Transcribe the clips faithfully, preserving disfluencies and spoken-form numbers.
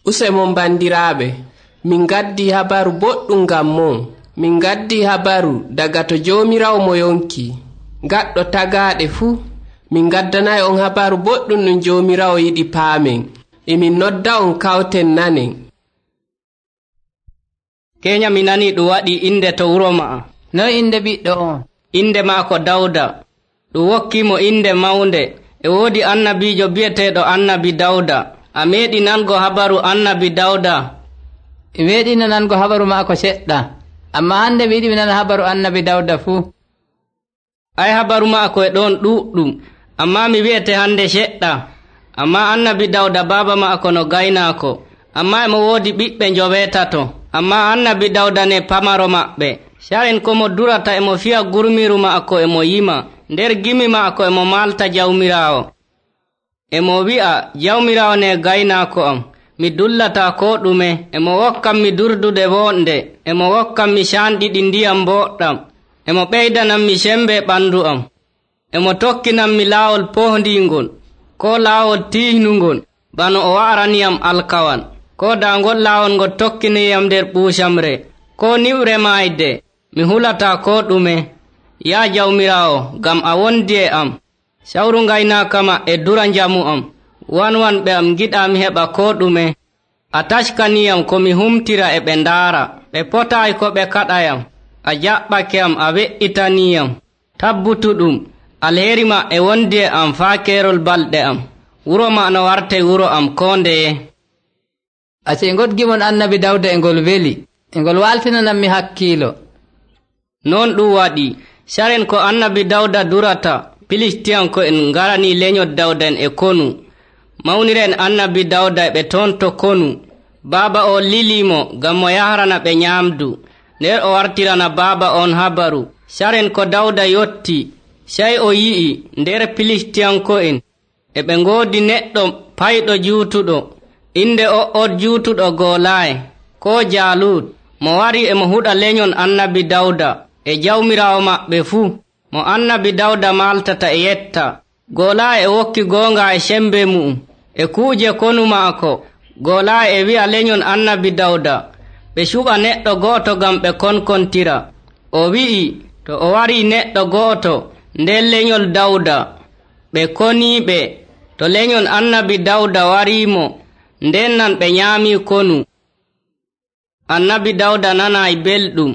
Usemon bandiraaɓe, min gaddi habaru boɗɗum ngam mon. Min gaddi habaru daga to Jawmirawo mo yonki, gaɗɗo tagaaɗe fuu. Min gaddanayi on habaru boɗɗum ɗum Jawmirawo yiɗi paamen. Emin nodda on kawten nanen. Keenya mi nani ɗum waɗi inde to wuro ma'a. Noy inde ɓiɗɗo on? Inde maako Dawda. Ɗum wokkimo inde mawnde. E woodi annabiijo bi'eteeɗo annabi Dawda. A meeɗi nango habaru annabi Dawda? E meeɗino nango habaru maako seɗɗa, amma hande mi yiɗi mi nana habaru annabi Dawda fuu. Ay habaru maako e ɗon ɗuɗɗum, amma mi wi'ete hande seɗɗa. Amma annabi Dawda baaba maako no gaynaako, amma emo woodi ɓiɓɓe njoweetato. Amma annabi Dawda ne pamaro maɓɓe. Saren komo durata emo fiya gurmiru maako emo yima. Nder gimi maako emo malta Jawmiraawo. Emo wi'a, Jawmiraawo ne gaynaako am. Mi dullata ko ɗume. Emo wokkam mi durdude wonde. Emo wokkam mi canɗiɗi ndiyam boɗɗam. Emo ɓeydanam mi sembe ɓandu am. Emo tokkinam mi laawol pohdingol, ko laawol tiihnugol, bano o wa'raniyam alkawan. Ko daangol laawol ngol tokkiniyam nder ɓuusamre, ko niwre maayde. Mi hulata ko ɗume. Yaa Jawmiraawo, ngam a wondi e am. Sawru ngaynaaka ma e dura njamu am. Wanwanɓe am giɗa mi heɓa ko ɗume. A taskaniyam ko mi humtira e ɓe ndaara. Ɓe potaayi ko ɓe kaɗayam. A jaɓɓake am, a we'itaniiyam. Tabbutuɗum, alheri ma e wondi e am faa keerol balɗe am. Wuro ma no warte wuro am koo ndeye. Ace ngoɗgimon annabi Dawda e ngol weli, e ngol waltinanammi hakkiilo. Non ɗum waɗi, saren ko annabi Dawda durata, Filistiyanko'en ngarani lenyol Dawda en e konu. Mawniren annabi Dawda e ɓe ton to konu. Baaba o lilimo ngam mo yahrana ɓe nyaamdu. Nder o wartirana baaba on habaru. Saren ko Dawda yotti, sey o yi'i nder Filistiyanko'en e ɓe ngoodi neɗɗo payɗo juutuɗo. Inde o on juutuɗo Golaaye, ko Jaalut, mo wari e mo huɗa lenyol annabi Dawda e Jawmiraawo maɓɓe fuu, mo annabi Dawda maltata e yetta. Golaaye e wokki goonga e sembe mu'um e kuuje konu maako. Golaaye e wi'a lenyol annabi Dawda ɓe cuɓa neɗɗo go'oto ngam ɓe konkontira. O wi'i to o warii neɗɗo go'oto nder lenyol Dawda, ɓe koniiɓe. To lenyol annabi Dawda wariimo, nden nan ɓe nyaamii konu. Annabi Dawda nanayi belɗum.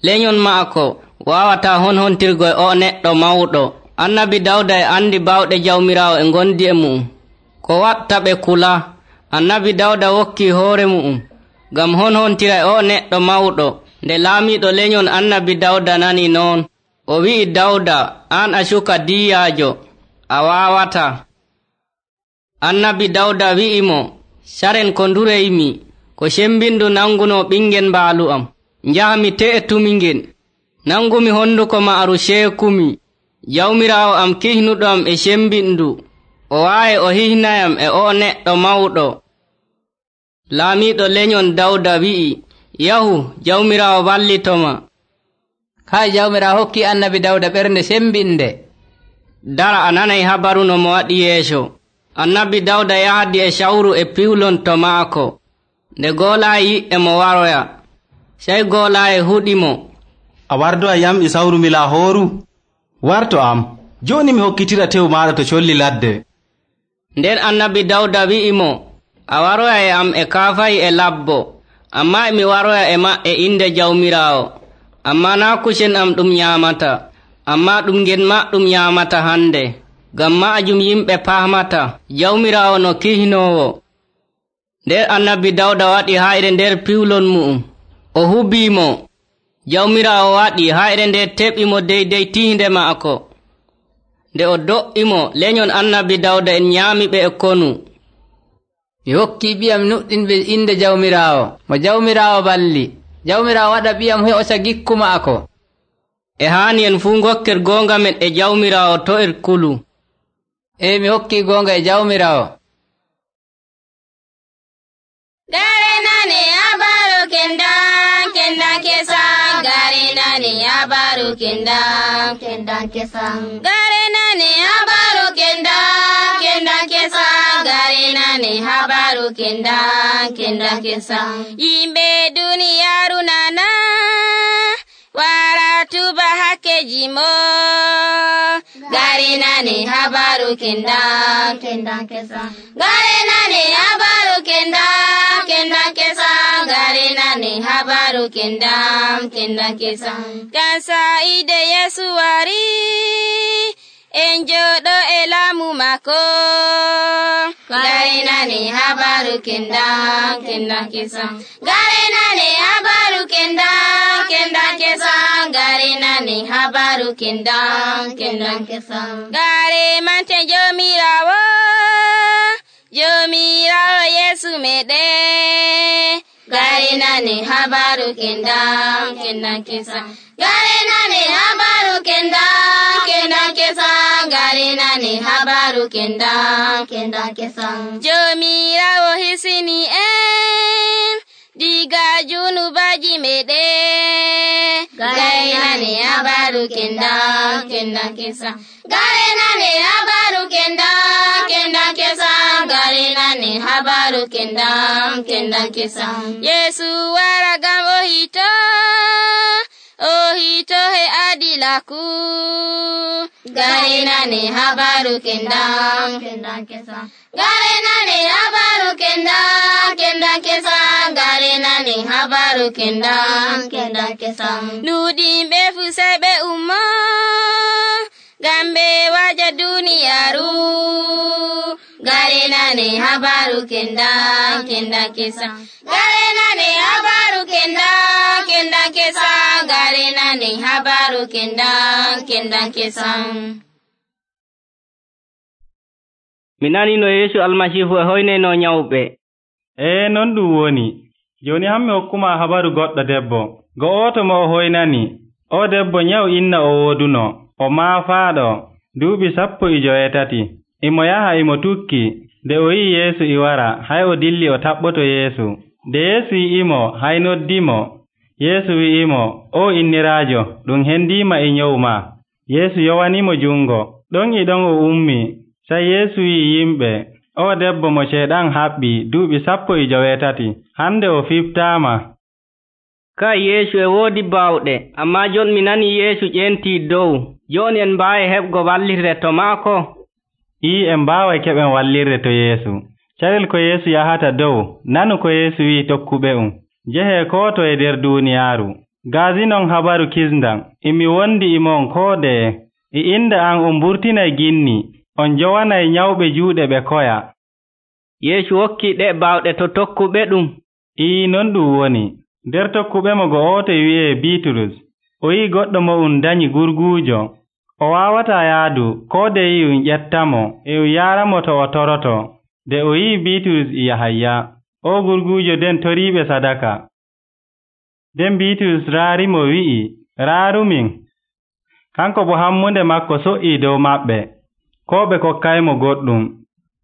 Lenyol maako waawata honhontirgo e o neɗɗo mawɗo. Annabi Dawda e andi bawɗe Jawmiraawo e ngondi e mu'um, ko watta ɓe kula. Annabi Dawda wokki hoore mu'um ngam honhontira e o neɗɗo mawɗo. Nde laamiiɗo lenyol annabi Dawda nani noon, o wi'i Dawda, an a suka diyyaajo, a waawata. Annabi Dawda wi'imo, saren ko ndureymi, ko sembindu nanguno ɓingel mbaalu am. Njahmi te'etumi ngel, nangumi honduko maaru ceekumi. Jawmiraawo am kihnuɗo am e sembindu, o waawi o hihnayam e o neɗɗo mawɗo. Laamiiɗo lenyol Dawda wi'i, yahu, Jawmiraawo wallitoma. Hay Jawmiraawo hokki annabi Dawda ɓernde sembinde. Dara a nanay habaru no mo waɗi yeeso. Annabi Dawda yahdi e sawru e piwlon to maako. Nde Golaaye yi'e mo waroya, sey Golaaye huɗimo, a wardoya yam e sawru mi Lahooru? Warto am, jooni mi hokkitira tew maaɗa to colli ladde. Nden annabi Dawda wi'imo, a waroya e am e kaafayi e labbo, amma emi waroya e maɓɓe inde Jawmiraawo. Amma naa kusen am ɗum nyaamata, amma ɗum ngen ma ɗum nyaamata hande. Ngam maajum yimɓe paamata Jawmiraawo no kihnoowo. Nder annabi Dawda waɗi hayre nder piwlon mu'um, o hubiimo. Jawmiraawo waɗi hayre nde teɓimo deydey tiinde maako. Nde o do'imo, lenyol annabi Dawda en nyaamiɓe e konu. Mi hokki ɓiyam nuɗɗinɓe inde Jawmiraawo, mo Jawmiraawo balli. Jawmiraawo waɗa ɓiyam he'osa gikku maako. E haani en fuu ngokker goonga men e Jawmiraawo to er kulu. E mi hokki goonga e Jawmiraawo. Gare nane habaru kendam, kendam kesam. Gare nane habaru kendam, kendam kesam. Gare nane habaru kendam, kendam kesam. gari nane habaru kendan kendan kesan. Yimɓe duniyaaru nana wara tuba hakkeji mo, gari nane habaru kendan kendan kesan. Gari nane habaru kendan kendan kesan, gari nane habaru kendan kendan kesan. Gansa ide Yesu wari en joɗo e laamu mako, gari nane habaru kendan kendan kesan. Gari nane habaru kendan kendan kesan, gari nane habaru kendan kendan kesan. Gare mante jomirawo, jomirawo Yesu meɗen, gari nane habaru kendan kendan kesan. Gari nane habaru kendan kendan kesan, gari nane habaru kendan kendan kesan. Jomirawo hisini en diga junubaji meɗen, gari nane habaru kendan kendan kesan. Gari nane habaru kendan kendan kesan, gari nane habaru kendan kendan kesan. Yesu wara gam o hito, o hito he adilaku, gari nane habaru kendan kendan kesan. Gari nane habaru kendan kendan kesan, gari nane habaru kendan kendan kesan. Nuɗimɓe fu sai ɓe ummo ngam ɓe waja duniyaru, gari nane habaru kendan kendan kesan. Gari nane habaru kendan kendan kesan, gari nane habaru kendan kendan kesan. Mi nani no Yeesu almasiihu e hoyneno nyawɓe. Ee non ɗum woni. Joni hammi hokkuma habaru goɗɗo debbo. Go'oto mo o hoynani. O debbo nyaw inna o woduno. O maafaaɗo duuɓi sappo e joweetati. Imo yaha imo tukki. Nde o yi'i Yeesu i wara, hay o dilli o taɓɓoto Yeesu. Nde Yeesu yi'imo, hay noddimo. Yeesu wi'imo, o inniraajo, ɗum hendiima e nyawu ma. Yeesu yowanimo jungo. Ɗon e ɗon o ummi. Sai Yeesu wi'i yimɓe, o debbo mo ceeɗan haɓɓi duuɓi sappo e joweetati, hande o fiftaama. Ka Yeesu e woodi baawɗe, ammaa jon mi nani Yeesu ƴentii dow. Jooni en mbaawi heɓgo wallirde to maako? Ii, en mbaaway keɓen wallirde to Yeesu. Carel ko Yeesu yahata dow, nanu ko Yeesu wi'i tokkuɓe um. Jehee koo to e nder duuniyaaru. Gaazinon habaru kisndam, imi wondi imon koo deye. E innde an on mburtinay ginni. On jowanay nyawɓe juuɗe ɓe koya. Yeesu hokki ɗe baawɗe to tokkuɓe ɗum. Ii, non ɗum woni. Nder tokkuɓe mo go'oto wi'ee Biiturus. O yi'i goɗɗo mo um danyi gurguujo. O waawataa yaadu, koo de yi'i um ƴettamo, e um yaaramo to o toroto. Nde o yi'i Biiturus e Yahaya, o gurguujo den toriiɓe sadaka. Nden Biiturus raarimo wi'i, raarumin. Kanko bo hammunde makko so'ii dow maɓɓe. Ko ɓe kokkaymo goɗɗum.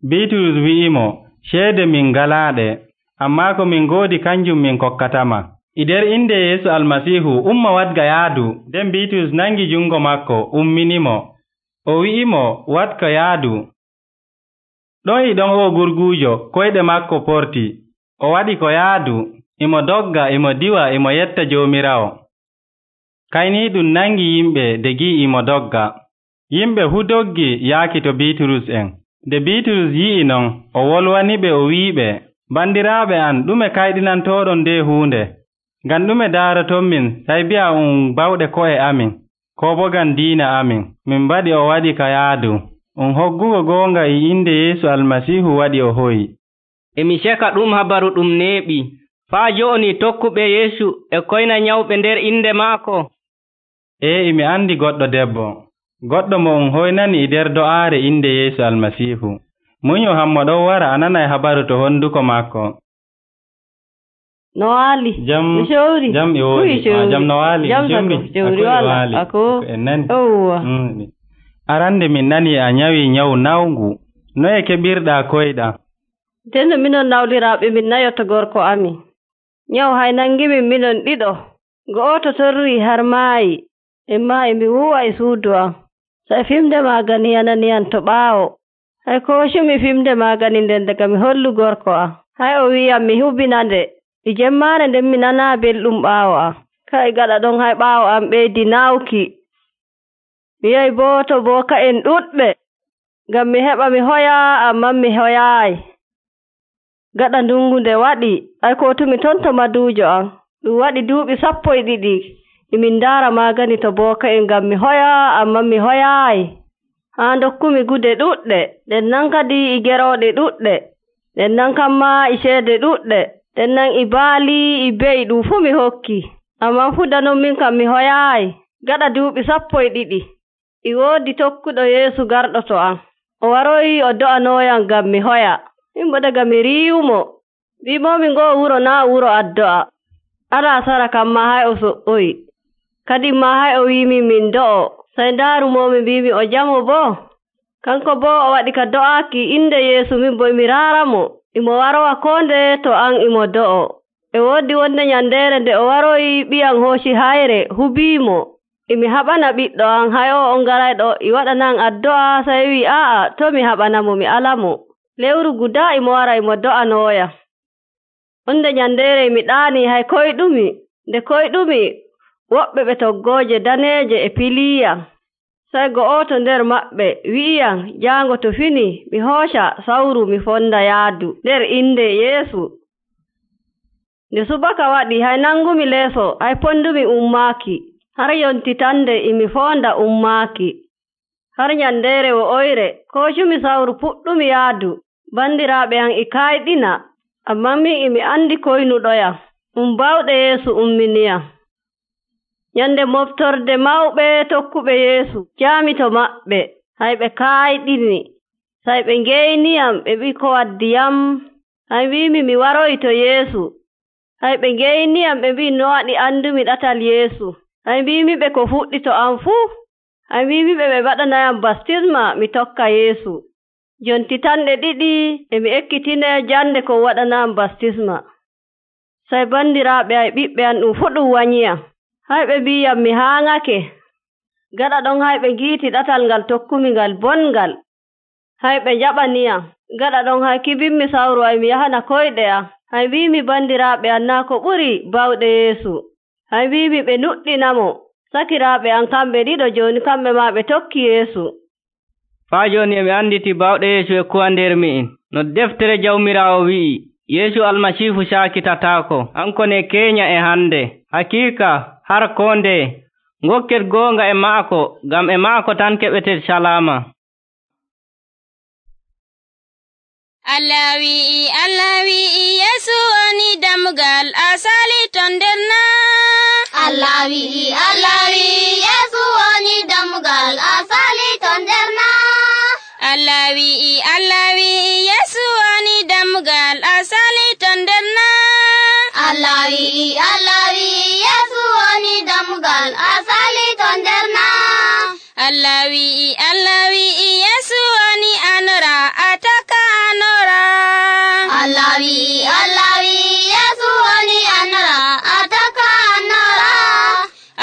Biiturus wi'imo, ceede min ngalaaɗe, ammaa ko min ngoodi kanjum min kokkatama. E nder inde Yeesu Almasiihu umma wadga yaadu. Nden Biiturus nangi jungo makko umminimo. O wi'imo, wadka yaadu. Ɗon e ɗon o gurguujo koyɗe makko porti. O waɗi ko yaadu, imo dogga, imo diwa, imo yetta Joomiraawo. Kayni ɗum nangi yimɓe de gi'i imo dogga. Yimɓe fu doggi yaaki to Biiturus en. Nde Biiturus yi'i non, o wolwaniɓe o wi'iɓe, bandiraaɓe an, ɗume kayɗinantooɗon nde huunde? Ngam ɗume daaraton min, say bi'a um bawɗe ko'e amin, ko bo ngam diina amin. Min mbaɗi o waɗi ka yaadu. Um hoggugo goonga e inde Yeesu Almasiihu waɗi o hoyi. Emi ceka ɗum habaru ɗum neeɓi. Faa jooni tokkuɓe Yeesu e koyna nyawɓe nder inde maako. Ee, emi andi goɗɗo debbo. Goɗɗo mo um hoynani e nder do'aare inde Yeesu Almasiihu. Munyo hammo ɗon wara a nanay habaru to honduko maako. No waali? Jam, Mishori? Jam e woodi. Jam no waali. Jam sako. Shewri wala. Ako. En nani. Owwa. Mm. Arande min nani a nyawi nyawu nawngu. Noye keɓirɗaa koyɗa? Tendo minon nawliraaɓe min nayoto gorko amin. Nyaw hay nangimin minon ɗiɗo. Go'oto torri har maayi. En maayi mi wuwa e suudu am. Sai fimde magani yananiyan to ɓaawo. hay koocumi fimde maagani nden daga mi hollu gorko am. Hay o wi'am mi hubinande e jemmaare nden mi nanaa belɗum ɓaawo am. Kay gaɗa ɗon hay ɓaawo am ɓeydi nawki. Mi yahi boo to booka'en ɗuɗɓe ngam mi heɓa mi hoyaa, amman mi hoyaayi. Gaɗa ndungu nde waɗi ay kootumi ton to maduujo am. Ɗum waɗi duuɓi sappo e ɗiɗi emin ndaara maagani to booka'en ngam mi hoyaa, amman mi hoyaayi. Haa dokkumi gude ɗuɗɗe, nden nan kadi e gerooɗe ɗuɗɗe, nden nan kamma e ceede ɗuɗɗe, nden nan e baali e be'i ɗum fuu mi hokki. Amman fudanon min kam mi hoyaayi. Gaɗa duuɓi sappo e ɗiɗi e woodi tokkuɗo Yeesu garɗo to am. O waroyi o do'anooyam ngam mi hoya. Min bo daga mi riiwumo, wi'imomi ngoo wuro naa wuro addo'a. Alaa sara kamma hay o so'oyi. Kadi ma hay o wiimi min do'o. Sey ndaarumomi mbimi o jamo boo. Kanko boo o waɗi ka do'aaki inde Yeesu, min bo emi raaramo. Imo warowa koo nde to an imo do'o. E woodi wonde nyandeere nde o waroyi ɓiyam hooci hayre hubiimo. Emi haɓana ɓiɗɗo am, hay o on garayɗo e waɗanan addo'a. Sey wi aa'a to mi haɓanamo mi alamo. Lewru gudaa imo wara imo do'anooyam. Wonde nyandeere mi ɗaani hay koyɗumi. Nde koyɗumi woɓɓe ɓe toggooje daneeje e piliyam. Sey go'oto nder maɓɓe wi'iyam jaango to fini mi hooca sawru mi fonda yaadu nder inde Yeesu. Nde subaka waɗi hay nangumi leeso hay pondumi ummaaki. Har yontitande emi fonda ummaaki. Har nyandeere wo'oyre koocumi sawru puɗɗumi yaadu. Bandiraaɓe am e kayɗina, amman min emi andi koynuɗoyam. Um bawɗe Yeesu umminiyam. Nyande moftorde mawɓe tokkuɓe Yeesu jaami to maɓɓe, hay ɓe kayɗini. Say ɓe ngeyniyam ɓe ɓi ko waddiyam. Hay wiimi mi waroyi to Yeesu. Hay ɓe ngeyniyam ɓe mbi no waɗi andumi ɗatal Yeesu. Hay mbimi ɓe ko fuɗɗi to am fuu. Hay mbimi ɓe ɓe waɗanayam baptisma mi tokka Yeesu. Jonti tanɗe ɗiɗi emi ekkitine jande ko waɗanayam baptisma. Say bandiraaɓe ay ɓiɓɓe am ɗum fuu ɗum wanyiyam. Hay ɓe mbiyam mi haaŋake. Gaɗa ɗon hay ɓe ngiiti ɗatal ngal tokkumi ngal bongal. Hay ɓe njaɓaniyam. Gaɗa ɗon hay kibimmi sawru ay mi yahana koyɗe am. Hay mbimi bandiraaɓe am naa ko ɓuri bawɗe Yeesu. Hay mbimi ɓe nuɗɗinamo. Sakiraaɓe am kamɓe ɗiɗo jooni kamɓe maa ɓe tokki Yeesu. Faa jooni emi anditi bawɗe Yeesu e kuwa nder mi'in. No deftere Jawmiraawo wi'i, Yeesu Almasiihu saakitataako, hanko ne keenya e hande. Hakiika har koo ndeye ngokket goonga e maako, ngam e maako tan keɓeten salaama. Allah wi'i, Allah wi'i, Yeesu woni dammugal asali ton nder naa. Allah wi'i, Allah wi'i, Yeesu woni dammugal asali ton nder naa. Allah wi'i, Allah wi'i, Yeesu woni dammugal asali ton nder naa. Allah wi'i, Allah wi'i, Yeesu woni dammugal asali ton nder naa. Allah wi'i, Allah wi'i, Yeesu woni anora ataka anora. Allah wi'i, Allah wi'i, Yeesu woni anora ataka anora.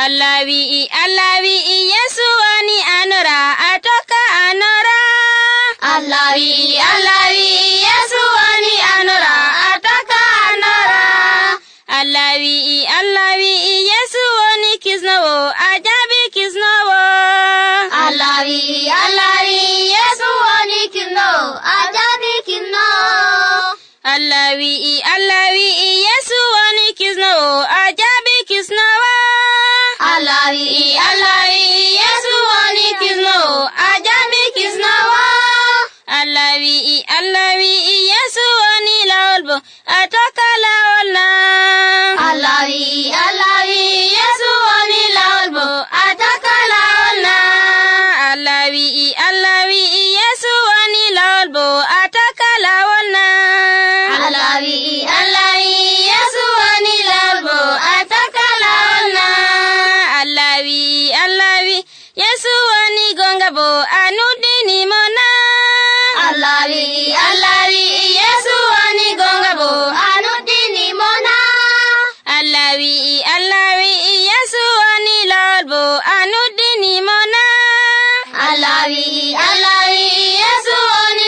Allah wi'i, Allah wi'i, Yeesu woni anora ataka anora. Allah wi'i, Allah wi'i, Yeesu woni anora ataka anora. Allah wi'i, Allah wi'i, Yeesu woni kisnowo ajabi kisnowo. Allah wi'i, Allah wi'i, Yeesu woni kisnowo ajabi kisnowo. Allah wi'i, Allah wi'i, Yeesu woni kisnowo ajabi kisnowo. Allah wi'i, Allah wi'i, Yeesu woni kisnowo ajabi kisnowo. Allah wi'i, Allah wi'i, Yeesu woni lawol bo ataka lawol na. Allah wi'i, Allah wi'i, Yeesu woni lawol bo ataka lawol na. Allah wi'i, Allah wi'i, Yeesu woni lawol bo ataka lawol na. Allah wi'i, Allah wi'i, Yeesu woni lawol bo ataka lawol na. Allah wi'i, Allah wi'i, Yeesu woni gonga bo anudini mo na. Allah wi'i, Allah wi'i, Yeesu woni gonga bo anudini mo na. Allah wi'i, Allah wi'i, Yeesu woni lawol bo anudini mo na. Allah wi'i, Allah wi'i, Yeesu woni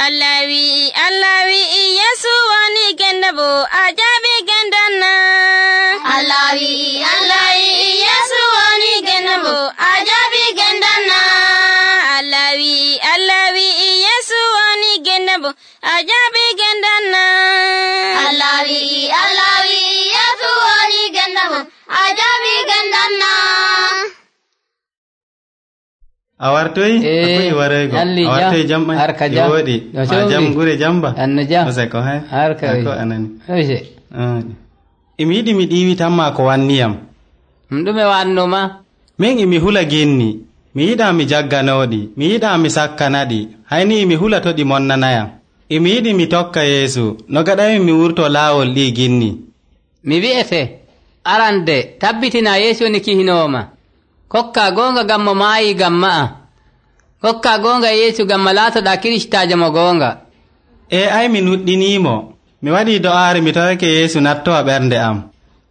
Allah wi'i Allah wi'i Yesu woni genda bo a jaɓi gendan na. Allah wi'i Allah wi'i Yesu woni genda bo a jaɓi gendan na. Allah wi'i Allah wi'i Yesu woni genda bo a jaɓi gendan na. Allah wi'i Allah wi'i Yesu woni genda bo a jaɓi gendan na. a wartoyi akoy waraygo a wartoyi jam ɓay e woɗi ma jam gure jamba anno jam oseko hay harka ko anani oje imi yiɗi mi ɗiwi tan ma ko wanniyam ɗum ɗume wannuma min imi hula genni mi yiɗa mi jagganoɗi mi yiɗa mi sakkanaɗi hayni imi hula to ɗi monnanayam imi yiɗi mi tokka Yeesu no gaɗami mi wurto laawol ɗi ginni mi wi'ete arande tabbitina Yeesu ni kihinoma kokka gonga gammo maayi gamma a kokka gonga Yeesu gamma laatoɗa kiristajo mo gonga e ay mi nuɗɗinimo mi waɗi do'aare mi tawake Yeesu nattowa ɓernde am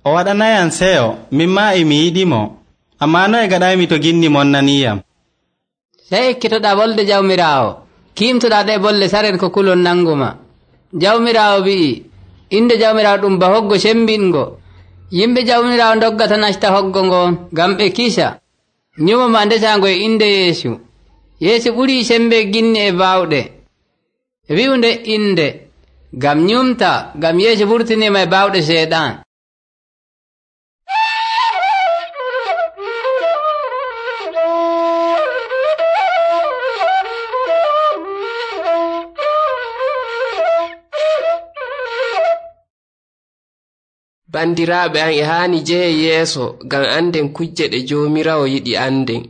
o waɗanayam seyo min ma imi yiɗimo amma noye gaɗaymi to ginni monnaniyam sey ekkitoɗa bolde jawmirawo kimtoɗa ɗe bolle saren ko kulon nanguma jawmirawo wi'i inde jawmirawo ɗum ba hoggo sembingo yimɓe jawmirawo doggata nasta hoggo ngon ngam ɓe kisa nyumo ma ndesango e inde Yeesu Yeesu ɓuri sembe ginni e bawɗe wi'unde inde ngam nyumta ngam Yeesu ɓurtinima e bawɗe seeɗan bandiraɓe an e haani jehe yeeso ngam anden kujje ɗe joomirawo yiɗi anden.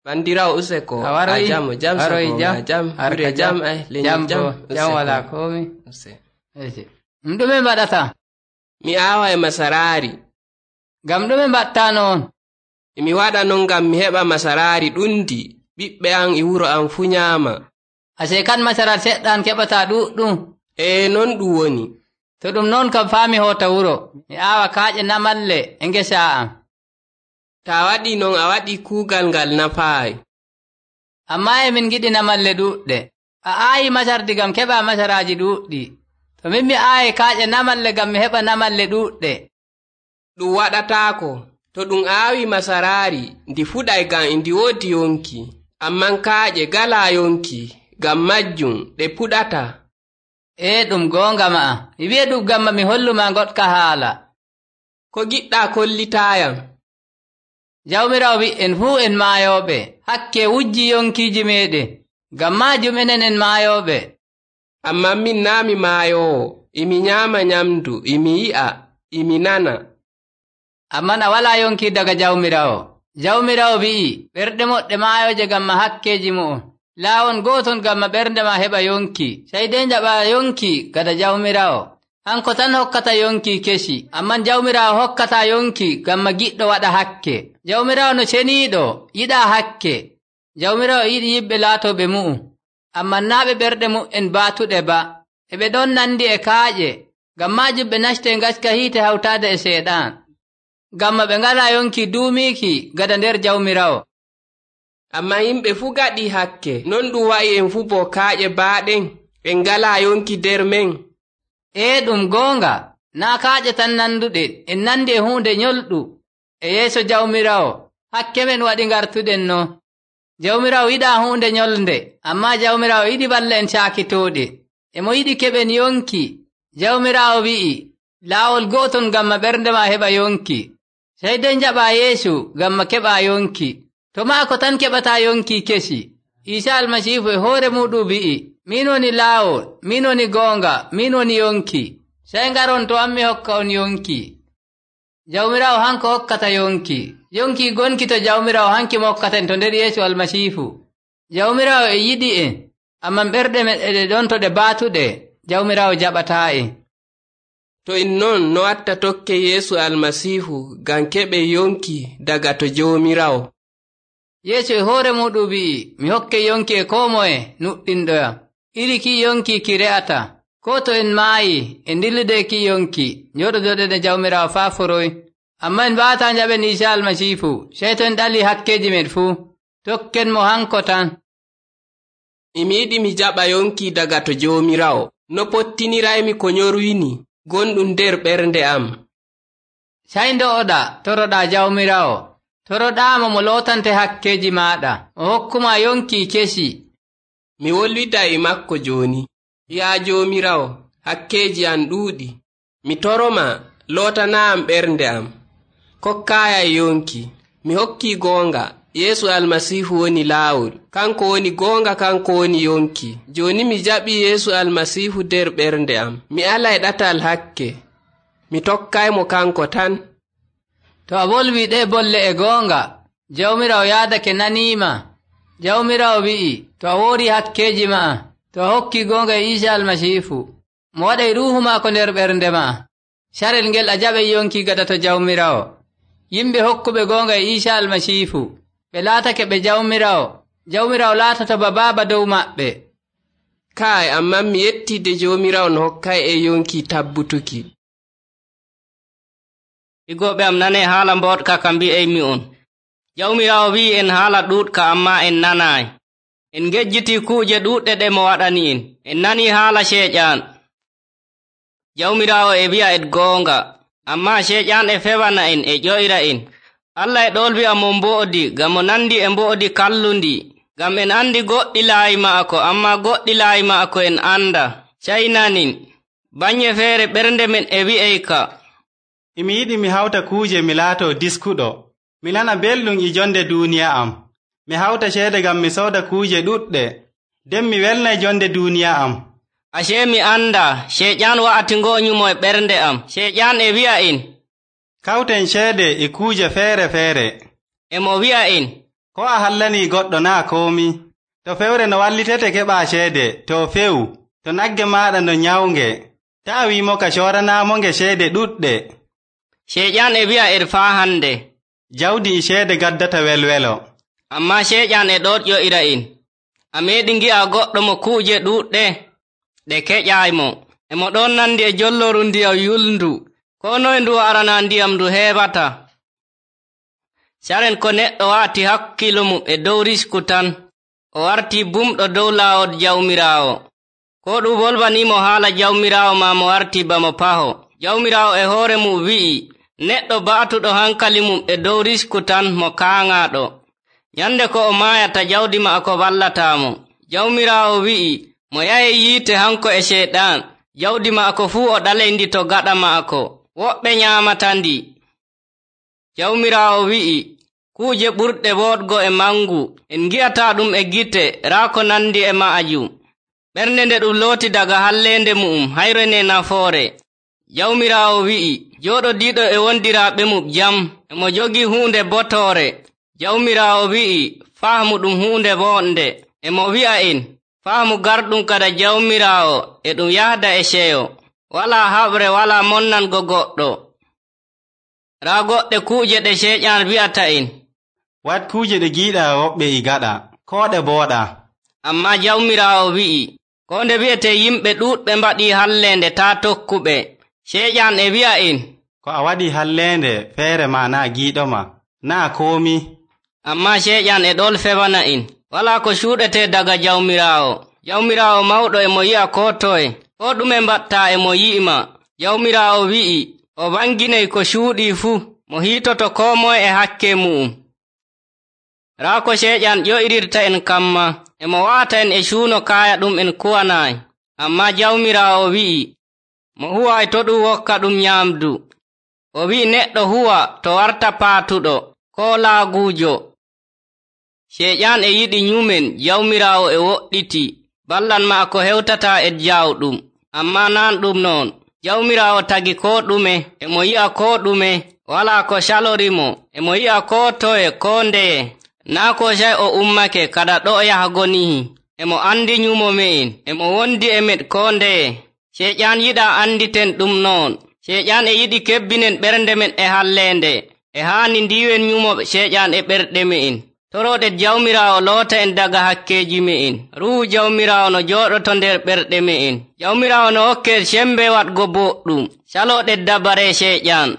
bandirawo useko a jam jam jam jam harka jam ay lenyam jam jam wala komi ɗum ɗume mbaɗata mi aawa e masarari ngam ɗume mbatta noon imi waɗa non ngam mi heɓa masarari ɗundi ɓiɓɓe an e wuro an fu nyaama ase kan masarari seɗɗan keɓata ɗuɗɗum e non ɗum woni to ɗum noon kam faami hota wuro mi aawa kaaƴe namalle e ngesa am ta waɗi non a waɗi kuugal ngal nafaayi amma emin giɗi namalle ɗuɗɗe a aayi masardi gam keɓa masaraji ɗuɗɗi to min mi aayi kaaƴe namalle gam mi heɓa namalle ɗuɗɗe ɗum waɗataako to ɗum aawi masarari ndi fuɗay gam e ndi woodi yonki amman kaaƴe galaa yonki gam majjum ɗe puɗata e ɗum gonga ma'a mi wi'a ɗum gamma mi holluma goɗka haala ko giɗɗa kollitayam jawmirawo wi'en fuu en maayoɓe hakke wujji yonkiji meɗen ngam majum enen en maayoɓe amma min naami maayowo imi nyaama nyamdu imi yi'a imi nana amman a wala yonki daga jawmirawo jawmirawo wi'i ɓerɗe moɗɗe maayoje gamma hakkeji mu'um laawon gooton gamma ɓernde ma heɓa yonki sey de jaɓa yonki gada jawmirawo hanko tan hokkata yonki kesi amman jawmirawo hokkata yonki gamma giɗɗo waɗa hakke jawmirawo no ceniiɗo yiɗa hakke jawmirawo yiɗi yimɓe laatoɓe mu'um amman naaɓe ɓerɗe mu'en baatuɗe ba eɓe ɗon nandi e kaaƴe ngam majum ɓe naste ngaska hiite hawtaade e seeɗan gamma ɓe ngala yonki duumiiki gada nder jawmirawo amma yimɓe fuu gaɗi hakke non ɗum wa'i en fuu bo kaaƴe baaɗen en ngala yonki nder men e ɗum goonga naa kaaƴe tan nanduɗen en nandi e huunde nyolɗu e yeeso jawmirawo hakke men waɗi ngartuɗen no jawmirawo yiɗa huunde nyolnde amma jawmirawo yiɗi balla en caakitooɗe emo yiɗi keɓen yonki jawmirawo wi'i laawol gooton gamma ɓernde ma heɓa yonki sey de jaɓa Yeesu gamma keɓa yonki to maako tan keɓata yonki kesi Isa almasiihu e hoore muɗum wi'i min woni laawol min woni goonga min woni yonki sey ngaron to ammi hokka on yonki jawmirawo hanko hokkata yonki yonki gonki to jawmirawo hanki mo hokkaten to nder Yeesu almasiihu jawmirawo e yiɗi en amman ɓerɗe meɗe ɗon to ɗe baatuɗe jawmirawo jaɓataa en to en non no watta tokke Yeesu almasiihu ngam keɓe yonki daga to jawmirawo Yeesu e hoore muɗum wi'i mi hokke yonki e koo moye nuɗɗinɗoyam iri ki yonki ki re'ata ko to en maayi e ndillude ki yonki njoɗodoɗen e jawmirawo faa foroy amma en mbaata njaɓen Isa almasiihu sey to en ɗali hakkeji men fuu tokken mo hanko tan emi yiɗi mi jaɓa yonki daga to Joomiraawo, no pottiniraymi ko nyorwini gonɗum nder ɓernde am. Sey ndo'oɗa toroɗaa Jawmiraawo, toroɗaamo mo lootante hakkeeji maaɗa, o hokkuma yonki kesi. Mi wolwida e makko jooni. Yaa Joomiraawo, hakkeeji am ɗuuɗi. Mi toroma lootana am ɓernde am. Kokkaayay yonki. Mi hokki goonga. Yeesu Almasiihu woni laawol. Kanko woni goonga, kanko woni yonki. Jooni mi jaɓi Yeesu Almasiihu nder ɓernde am. Mi alay ɗatal hakke. Mi tokkaymo kanko tan. To a wolwi ɗe bolle e goonga, Jawmiraawo yaadake naniima. Jawmiraawo wi'i, to a woori hakkeeji ma'a, to a hokki goonga e Iisa Almasiihu, mo waɗay ruuhu maako nder ɓernde ma'a, carel ngel a jaɓay yonki gada to Jawmiraawo. Yimɓe hokkuɓe goonga e Iisa Almasiihu, ɓe laatake ɓe Jawmiraawo, Jawmiraawo laatata ba baaba dow maɓɓe. Kaay, amman mi yettide Joomiraawo no hokkay e yonki tabbutuki. Higoɓe am nane haala mboɗka ka mbi'aymi on. Jawmiraawo wi'i en haala ɗuuɗka amma en nanaay. En ngejjiti kuuje ɗuuɗɗe ɗe mo waɗani en. En nani haala Ceeƴan. Jawmiraawo e wi'a en goonga, amma Ceeƴan e fewana en e ƴoyra en. Allah e ɗolwi'a mo mbo'odi ngam mo nandi e mbo'odi kallundi, ngam en andi goɗɗi laayi ma'ako, amma goɗɗi laayi ma'ako en anda. Caynanin, bannye feere ɓernde men e wi'ay ka. Emi yiɗi mi hawta kuuje mi laato diskuɗo. Mi nana belɗum e jonde duuniya am. Mi hawta ceede ngam mi sooda kuuje ɗuɗɗe, nden mi welnay jonde duuniya am. Acee mi anda, Ceeƴan wa'atingo nyumo e ɓernde am. Ceeƴan e wi'a en, kawten ceede e kuuje feere feere. E mo wi'a en, ko a hallanii goɗɗo naa koomi. To fewre no wallitete keɓaa ceede, to few, to nagge maaɗa no nyawnge, taa wiimo ka cooranaamonge ceede ɗuɗɗe. Ceeƴan e wi'a en faa hande, jawdi e ceede gaddata welwelo. Amma Ceeƴan e ɗon ƴo'ira en, a meeɗi ngi'a goɗɗo mo kuuje ɗuuɗɗe ɗe keƴaymo, e mo ɗon nandi e jolloru ndiyam yulndu, ko noye ndu arana ndiyam ndu heɓata. Saren ko neɗɗo wa'ati hakkilo mum e dow risku tan, o warti bumɗo dow laawol Jawmiraawo. Ko ɗum wolwanimo haala Jawmiraawo ma mo warti bamo paho. Jawmiraawo e hoore mum wi'i, neɗɗo ba'atuɗo hankali mum e dow risku tan mo kaaŋaaɗo. Nyande ko o maayata jawdi maako wallatamo. Jawmiraawo wi'i, mo yahe yiite hanko e Ceeɗan, jawdi maako fuu o ɗalendi to gaɗa maako, woɓɓe nyaamata ndi. Jawmiraawo wi'i, kuuje ɓurɗe woɗgo e mangu, en ngi'ata ɗum e gite raa ko nandi e ma'ajum. Ɓernde nde ɗum looti daga hallende mu'um hayrene nafoore. Jawmiraawo wi'i, jooɗodiiɗo e wondiraaɓe mum jam, e mo jogi huunde botoore. Jawmiraawo wi'i, faamu ɗum huunde woonde. E mo wi'a en, faamu garɗum kada Jawmiraawo e ɗum yahda e ceyo, walaa haɓre walaa monnango goɗɗo. Raa goɗɗe kuuje ɗe Ceeƴan wi'ata en, wat kuuje ɗe giiɗa woɓɓe e gaɗa, koo ɗe booɗa. Amma Jawmiraawo wi'i, ko nde wi'ete yimɓe ɗuuɗɓe mbaɗi hallende taa tokkuɓe. Ceeƴan e wi'a en, ko a waɗi hallende feere ma naa giiɗoma, naa koomi. Amma Ceeƴan e ɗol fewana en, walaa ko cuuɗete daga Jawmiraawo. Jawmiraawo mawɗo e mo yi'a ko toye, ko ɗume mbatta e mo yi'ima. Jawmiraawo wi'i, o wanginay ko cuuɗii fuu, mo hiitoto koo moye e hakke mu'um. Raa ko Ceeƴan ƴo'irirta en kamma, e mo wa'ata en e cuuno kaaya ɗum en kuwanaay. Amma Jawmiraawo wi'i, mo huway to ɗum wokka ɗum nyaamdu. O wi'i neɗɗo huwa to warta paatuɗo, koo laaguujo. Ceeƴan e yiɗi nyumen Jawmiraawo e woɗɗiti, ballan maako hewtata e jawɗum. Amma nan ɗum noon, Jawmiraawo tagi koo ɗume, e mo yi'a koo ɗume, walaa ko calorimo, e mo yi'a koo toye koo ndeye. Naa ko sey o ummake kada ɗo yahago nihi, e mo andi nyumo me'en, e mo wondi e men koo ndeye. Ceeƴan yiɗa anditen ɗum noon. Ceeƴan e yiɗi kebbinen ɓernde men e hallende, e haani ndiwen nyumo Ceeƴan e ɓerɗe me'en. Toroɗen Jawmiraawo loota en daga hakkeeji me'en. Ruuhu Jawmiraawo no jooɗoto nder ɓerɗe me'en. Jawmiraawo no hokke sembe waɗgo boɗɗum. Caloɗen dabare Ceeƴan.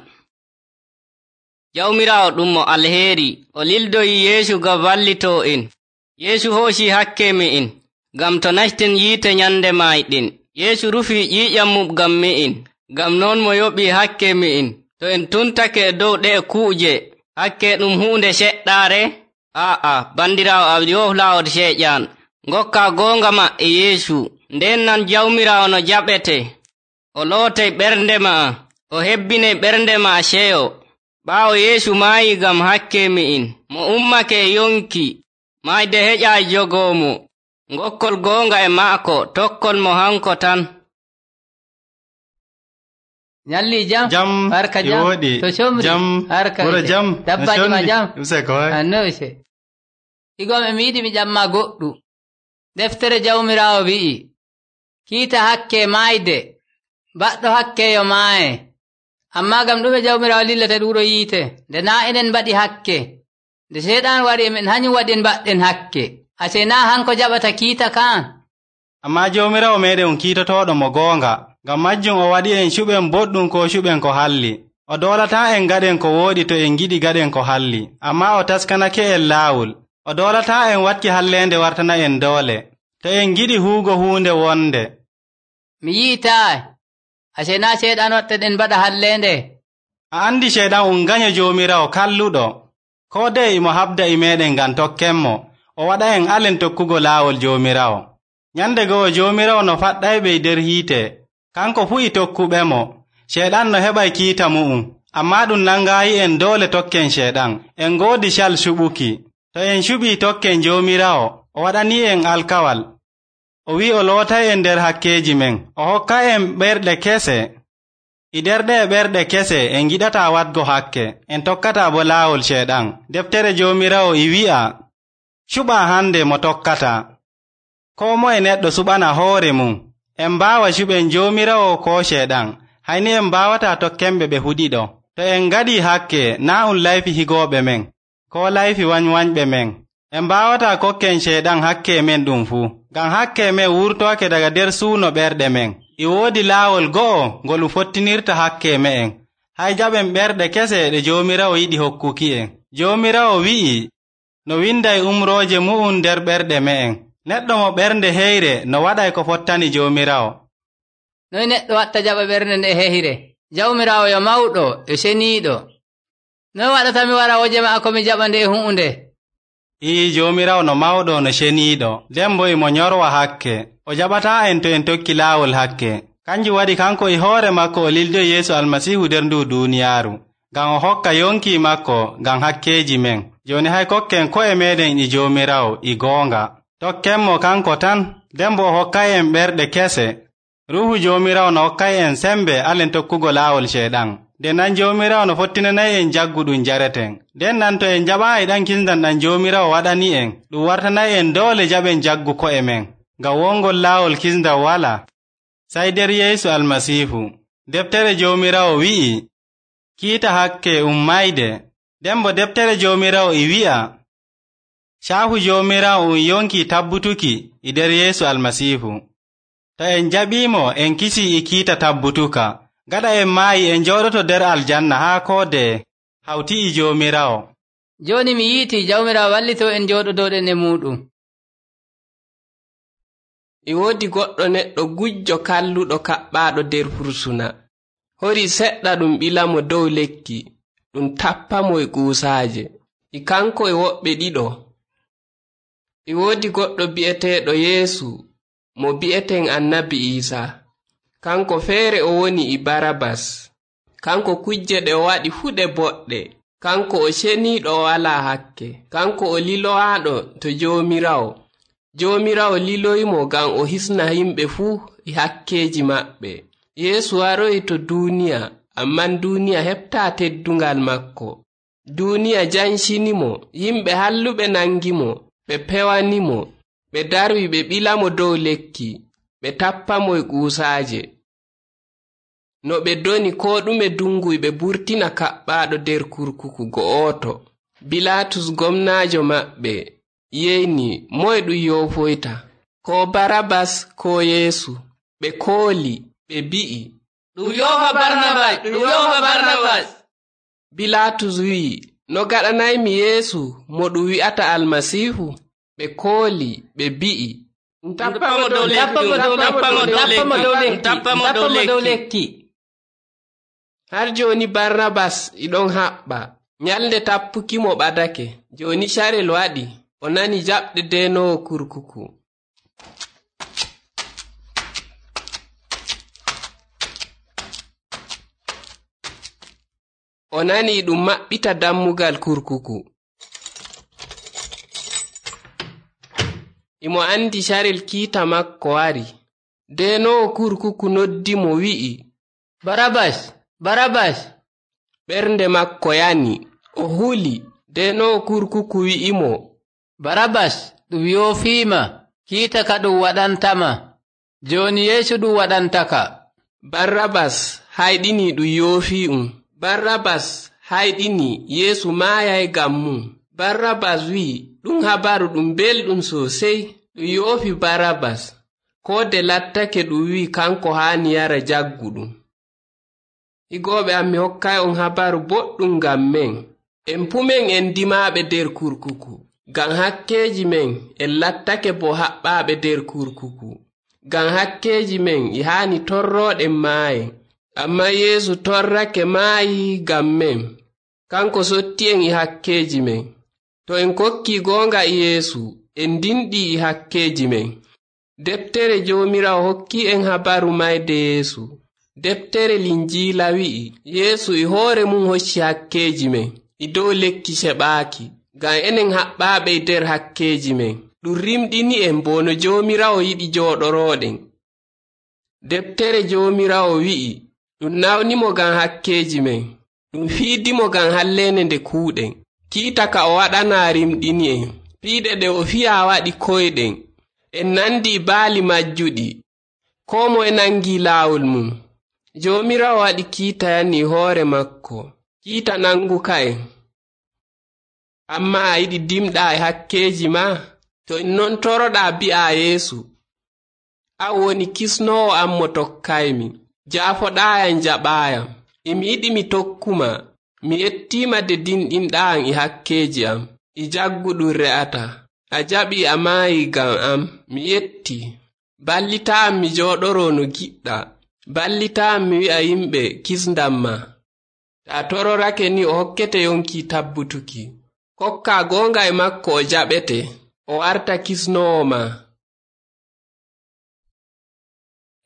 Jawmiraawo ɗum mo alheri, o lildoyi Yeesu ngam wallitoo en. Yeesu hoosi hakke me'en. ngam to nasten yiite nyande mayɗin. Yeesu rufii ƴiiƴam mum ngam mi'in, ngam non mo yoɓii hakke mi'in. To en tuntake e dow ɗe'e kuuje, hakke ɗum huunde seɗɗaare? Aa'a, bandiraawo am yoh laawol seeƴan. Ngokka goonga ma e Yeesu, nden nan Jawmiraawo no jaɓete. O lootay ɓernde ma'a, o hebbinay ɓernde ma'a seyo. Ɓaawo Yeesu maayi ngam hakke mi'in, mo ummake e yonki, mayde heƴaay jogoomo. Ngokkol goonga e maako, tokkol mo hanko tan. Nyalli jam, jam barka jam, woɗi. To shomri, jam, barka wuro jam, dabbaji ma jam. Use ko hay. Anno use. Igom e mi yiɗi mi jamma goɗɗu. Deftere Jawmiraawo wi'i, kiita hakke maayde, baɗɗo hakkeyo maaye. Ammaa gam ɗume Jawmiraawo lillata ɗuuro yiite, nde naa enen mbaɗi hakke, nde seeɗan wari emen hanyum waɗi en mbaɗɗen hakke. Ase naa hanko jaɓata kiita kan. Ammaa Jawmiraawo meeɗen kiitotoɗo mo goonga, ngam majjum o waɗi en cuɓen boɗɗum ko cuɓen ko halli. O doolataa en gaɗen ko wooɗi to en giɗi gaɗen ko halli, ammaa o taskanake en laawol. O doolataa en watki halleende wartana en doole, to en giɗi huugo huunde wonde. Mi yi'itaay, ase naa seeɗan wattaɗen mbaɗa halleende. A andi seeɗan um ganyo Jawmiraawo kalluɗo, ko dey imo habda e meeɗen ngam tokkenmo, o waɗa en alen tokkugo laawol Jawmiraawo. Nyande go'o Jawmiraawo no faɗɗayɓe e nder hiite, kanko fuu e tokkuɓemo. Seeɗan no heɓay kiita mu'um, ammaa ɗum nangaayi en doole tokken seeɗan. En ngoodi cal suɓuki. To en cuɓii tokken Jawmiraawo, o waɗani en alkawal. O wi'i o lootay en nder hakkeeji men, o hokka en ɓerɗe kese. E nder ɗe ɓerɗe kese en giɗataa waɗgo hakke, en tokkataa bo laawol seeɗan. Deftere Jawmiraawo e wi'a, cuɓaa hande mo tokkataa. Koo moye neɗɗo suɓana hoore mum. En mbaawa cuɓen Jawmiraawo ko seeɗan, hayni en mbaawataa tokkenɓe ɓe huɗiɗo. To en ngaɗii hakke, naa um layfi higooɓe men, ko layfi wañwañɓe men. En mbaawataa kokken seeɗan hakke men ɗum fuu, ngam hakke men wurtooke daga nder suuno ɓerɗe men. E woodi laawol go'o ngol um fottinirta hakke me'en. Hay jaɓen ɓerɗe kese ɗe Jawmiraawo yiɗi hokkuki en. Jawmiraawo wi'i, no winday umrooje mu'um nder ɓerɗe me'en. Neɗɗo mo ɓernde heyre no waɗay ko fottani Jawmiraawo. Noy neɗɗo watta jaɓa ɓernde nde heyre? Jawmiraawo yo mawɗo e seniiɗo. Noy waɗata mi wara woje maako mi jaɓa nde huunde? Ii Jawmiraawo no mawɗo no seniiɗo, nden bo imo nyorwa hakke. O jaɓataa en to en tokki laawol hakke. Kanjum waɗi kanko e hoore makko o lildoyi Yeesu Almasiihu nder ndu duuniyaaru, ngam o hokka yonki makko ngam hakkeeji men. Jooni hay kokken ko'e meeɗen e Jawmiraawo e goonga. Tokkenmo kanko tan, nden bo o hokkay en ɓerɗe kese. Ruuhu Jawmiraawo no hokkay en sembe alen tokkugo laawol seeɗan. Nden nan Jawmiraawo no fottinanay en jaggu ɗum jareten. Nden nan to en jaɓaayi ɗan kisndam ɗam Jawmiraawo waɗani en, ɗum wartanay en doole jaɓen jaggu ko'e men, ngam wongol laawol kisndam wala, sey nder Yeesu Almasiihu. Deftere Jawmiraawo wi'i, kiita hakke um mayde. Nden bo deftere Jawmiraawo e wi'a, caahu Jawmiraawo um yonki tabbutuki e nder Yeesu Almasiihu. To en jaɓiimo en kisii e kiita tabbutuka. Gaɗa en maayi en jooɗoto nder aljanna haa koode hawti e Jawmiraawo. Jooni mi yiiti Jawmiraawo wallito en jooɗodoɗen e muɗum. E woodi goɗɗo neɗɗo gujjo kalluɗo kaɓɓaaɗo nder fursuna. Hori seɗɗa ɗum ɓilamo dow lekki, ɗum tappamo e kuusaaje. E kanko e woɓɓe ɗiɗo. E woodi goɗɗo bi'eteeɗo Yeesu, mo bi'eten Annabi Iisaa. Kanko feere o woni e Barabas. Kanko kujje ɗe o waɗi fuu ɗe boɗɗe. Kanko o ceniiɗo o walaa hakke. Kanko o lilowaaɗo to Jawmiraawo. Jawmiraawo liloyimo ngam o hisna yimɓe fuu e hakkeeji maɓɓe. Yeesu waroyi to duuniya, amman duuniya heɓtaa teddungal makko. Duuniya jancinimo, yimɓe halluɓe nangimo, ɓe pewanimo, ɓe darwi ɓe ɓilamo dow lekki, ɓe tappamo e kuusaaje. No ɓe doni ko ɗume dunguy ɓe burtina kaɓɓaaɗo nder kurkuku go'oto. Bilatus gomnaajo maɓɓe yeyni moye ɗum yofoyta, ko Barabas ko Yeesu. Ɓe kooli, ɓe bi'i, ɗum yofa Barnabas, ɗum yofa Barnabas. Bilatus wi'i, no gaɗanaymi Yeesu mo ɗum wi'ata Almasiihu? Ɓe kooli, ɓe bi'i, Tappamo dow lekki. Tappamo dow lekki. Har joni Barnabas iɗon haɓɓa. Nyalnde tappuki mo ɓadake. Joni Sharel waɗi. O nani jaɓde denowo kurkuku. O nani ɗum maɓɓita dammugal kurkuku. Imo andi Sharel kiita makko wari. Denowo kurkuku noddi mo wi'i, Barabas, Barabas. Ɓernde makko yani. O huli. Denowo kurkuku wi'imo, Barabas ɗum yoofiima, kiita ka ɗum waɗantama. Joni Yeesu ɗum waɗantaka. Barnabas hayɗini ɗum yoofi'um. Barnabas hayɗini Yeesu maayay ngam mum. Barnabas wi'i ɗum habaru ɗum belɗum sosey. Ɗum yoofi Barnabas. Koode lattake ɗum wi'i kanko haani yara jagguɗum. Higooɓe am, mi hokkay on habaru boɗɗum ngam men. En pumen en dimaaɓe der kurkuku. Ngam hakkeeji men en lattake bo haɓɓaaɓe der kurkuku. Ngam hakkeeji men e haani torrooɗen maaye. Amma Yeesu torrake maayi ngam men. Kanko sotti en e hakkeeji men. To en kokki goonga e Yeesu, en dinɗi e hakkeeji men. Deftere Joomiraawo hokki en habaru mayde Yeesu. Deftere Linjiila wi'i Yeesu e hoore mum hocci hakkeeji men e dow lekki seɓaaki, ngam enen haɓɓaaɓe der hakkeeji men. Ɗum rimɗini en bo no Joomiraawo yiɗi jooɗorooɗen. Deftere Joomiraawo wi'i ɗum nawnimo ngam hakkeeji men. Ɗum fiidimo ngam halleende nde kuuɗen. Kiita ka o waɗanaa rimɗini en. Piiɗe ɗe o fiyaa waɗi koyɗen. En nandi baali majjuɗi. Koo moye nangi laawol mum. Joomiraawo waɗi kiita yanni hoore makko. Kiita nanguka en. Amma a yiɗi dimɗaa e hakkeeji ma? To en non toroɗaa bi'a Yeesu, an woni kisnoowo am mo tokkaymi. Jaafoɗaayam jaɓaayam. Emi yiɗi mi tokkuma. Mi yettiima de dinɗinɗaam e hakkeeji am. E jagguɗum re'ata. A jaɓi a maayi ngam am. Mi yetti. Ballitaam mi jooɗoroo no giɗɗa. Ballitaam mi wi'a yimɓe kisndam ma. Ta tororake ni o hokkete yonki tabbutuki. Kokka goonga e makko o jaɓete. O warta kisnoowo ma.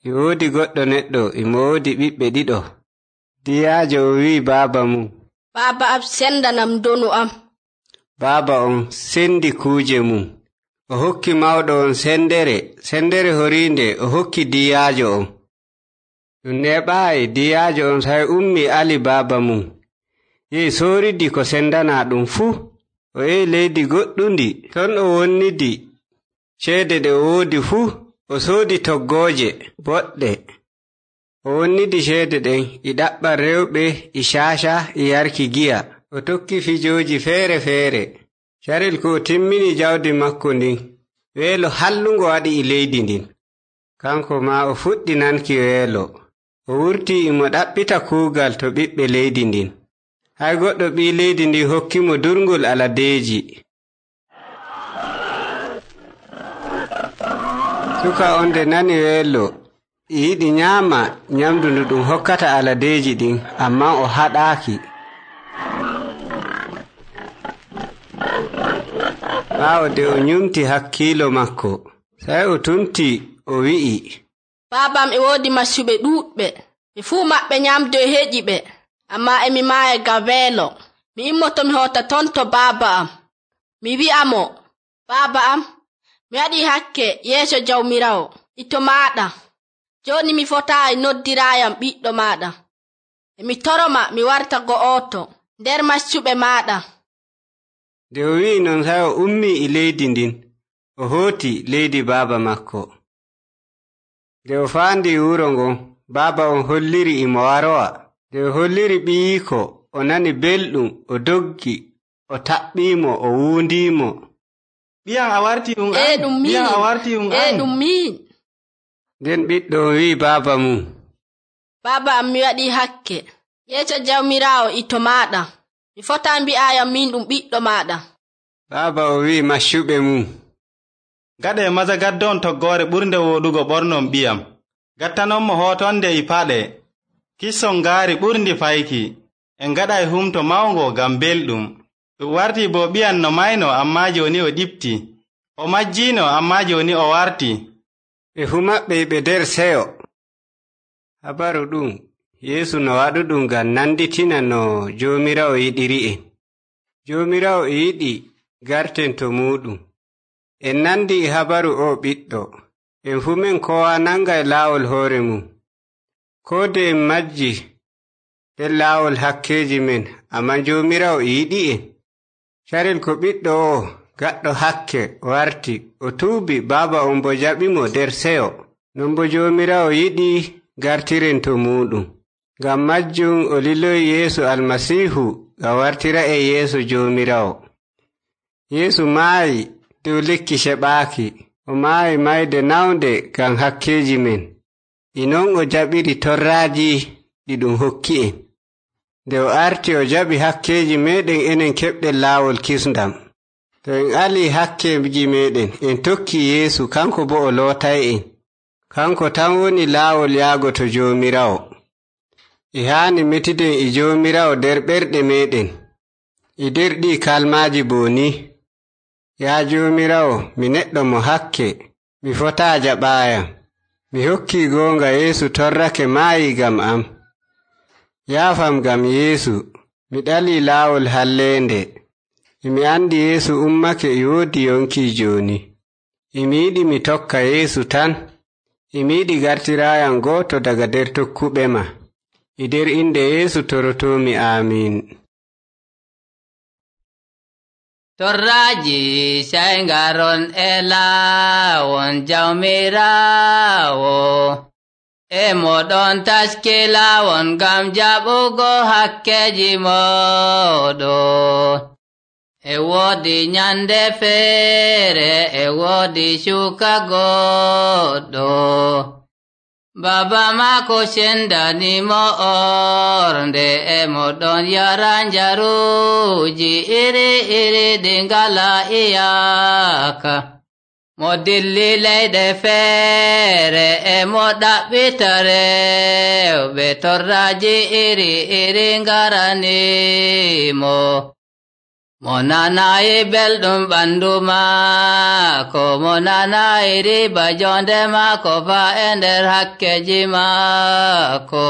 E woodi goɗɗo neɗɗo imo woodi ɓiɓɓe ɗiɗo. Diyaajo o wi'i baaba mum, Baaba am sendanam donu am. baaba on sendi kuuje mum. O hokki mawɗo on sendere, sendere horiinde o hokki diyaajo on. Ɗum neɓaayi diyaajo on sai ummi ali baaba mum. Yehi sooridi ko sendanaa ɗum fuu. O yehi leydi goɗɗundi, ton o wonnidi ceede ɗe o woodi fuu. O soodi toggooje boɗɗe. O wonnidi ceede ɗen e ɗaɓɓa rewɓe e caaca e yarki giya. O tokki fijooji feere feere. Carel ko o timmini jawdi makko ndin, weelo hallungo waɗi e leydi ndin. Kanko maa o fuɗɗi nanki weelo. O wurtii imo ɗaɓɓita kuugal to ɓiɓɓe leydi ndin. Hay goɗɗo ɓii leydi ndin hokkimo durngol aladeeji. Suka on nde nani weelo, e yiɗi nyaama nyamdu ndu ɗum hokkata aladeeji ɗin, ammaa o haɗaaki. Ɓaawo de o nyumti hakkiilo makko, sai o tumti o wi'i, Baabam e woodi maccuɓe ɗuuɗɓe. Ɓe fuu maɓɓe nyamdu e heƴi ɓe, ammaa emi maaya ngam weelo. Mi immoto mi hota ton to baaba am. Mi wi'a mo, Baaba am, mi waɗi hakke yeeso Jawmiraawo ito maaɗa. Jooni mi fotaayi noddiraayam ɓiɗɗo maaɗa. Emi toroma mi warta go'oto nder maccuɓe maaɗa. Nde o wi'i non sai o ummi e leydi ndin, o hooti leydi baaba makko. Nde o faandi wuro ngon, baaba on holliri imo warowa. Nde o holliri ɓiyiiko, o nani belɗum, o doggi, o taɓɓiimo, o wuundiimo. Ɓiyam a warti ɗum an? E ɗum min. Ɓiyam a warti ɗum an? E ɗum min. Nden ɓiɗɗo o wi'i baaba mum, Baaba am mi waɗi hakke. Yeeso Jawmiraawo ito maaɗa. Mi fotaa mbi'ayam min ɗum ɓiɗɗo maaɗa. baaba o wi'i maccuɓe mum, gaɗee maza gaddon toggoore ɓurnde wooɗugo ɓornon ɓiyam, gattanon mo hootonde e paɗe, kisson ngaari ɓurndi fayki, en gaɗay humto mawngo ngam belɗum. Ɗum wartii bo ɓiyan no mayno ammaa jooni o ɗifti, o majjiino ammaa jooni o warti. Ɓe fuu maɓɓe ɓe nder seyo. Habaru ɗum Yeesu no waɗuɗum ngam nanditina no Joomiraawo yiɗiri'en. Joomiraawo e yiɗi garten to muuɗum. En nandi e habaru o ɓiɗɗo. En fuu men kowa nangay laawol hoore mum. Koo de en majji nder laawol hakkeeji men, ammaa Joomiraawo e yiɗi'en. Carel ko ɓiɗɗo o gaɗɗo hakke warti, o tuubi, baaba on bo jaɓimo nder seyo. Non bo Joomiraawo yiɗi gartiren to muuɗum. Ngam majjum o liloyi Yeesu Almasiihu ngam wartira e yeeso Joomiraawo. Yeesu maayi dow lekki seɓaaki. O maayi mayde nawnde ngam hakkeeji men. E non o jaɓiri torraaji ɗi ɗum hokki'en. Nde o arti o jaɓi hakkeeji meɗen enen keɓɗen laawol kisndam. To en alii hakkeeji meɗen, en tokki Yeesu, kanko bo o lootay'en. Kanko tan woni laawol yaago to Joomiraawo. E haani metiden e Joomiraawo nder ɓerɗe meɗen. E nder ɗi kalmaaji boo ni: Yaa Joomiraawo, mi neɗɗo mo hakke, mi fotaa jaɓaayam. Mi hokkii goonga Yeesu torrake maayi ngam am. Yaafam ngam Yeesu, mi ɗalii laawol halleende. E mi andi Yeesu ummake e woodi yonki jooni. E mi yiɗi mi tokka Yeesu tan. E mi yiɗi gartiraayam gooto daga nder tokkuɓe ma. E nder inde Yeesu torotoomi. Amiin. Torraaji sey ngaron e laawon Jawmiraawo, e moɗon taski laawon ngam jaɓugo hakkeji moɗon. E woodi nyande feere, e woodi shuka goɗɗo, Baba maako sendanimo ornde, e moɗon yara njaruuji iri iri ɗi ngala iyaka. Mo dilli leyɗe feere, e mo ɗaɓɓita rewɓe, torraaji iri iri ngaranimo. Mo nanayi belɗum ɓandu maako, mo nanayi riba jonde maako faa e nder hakkeji maako.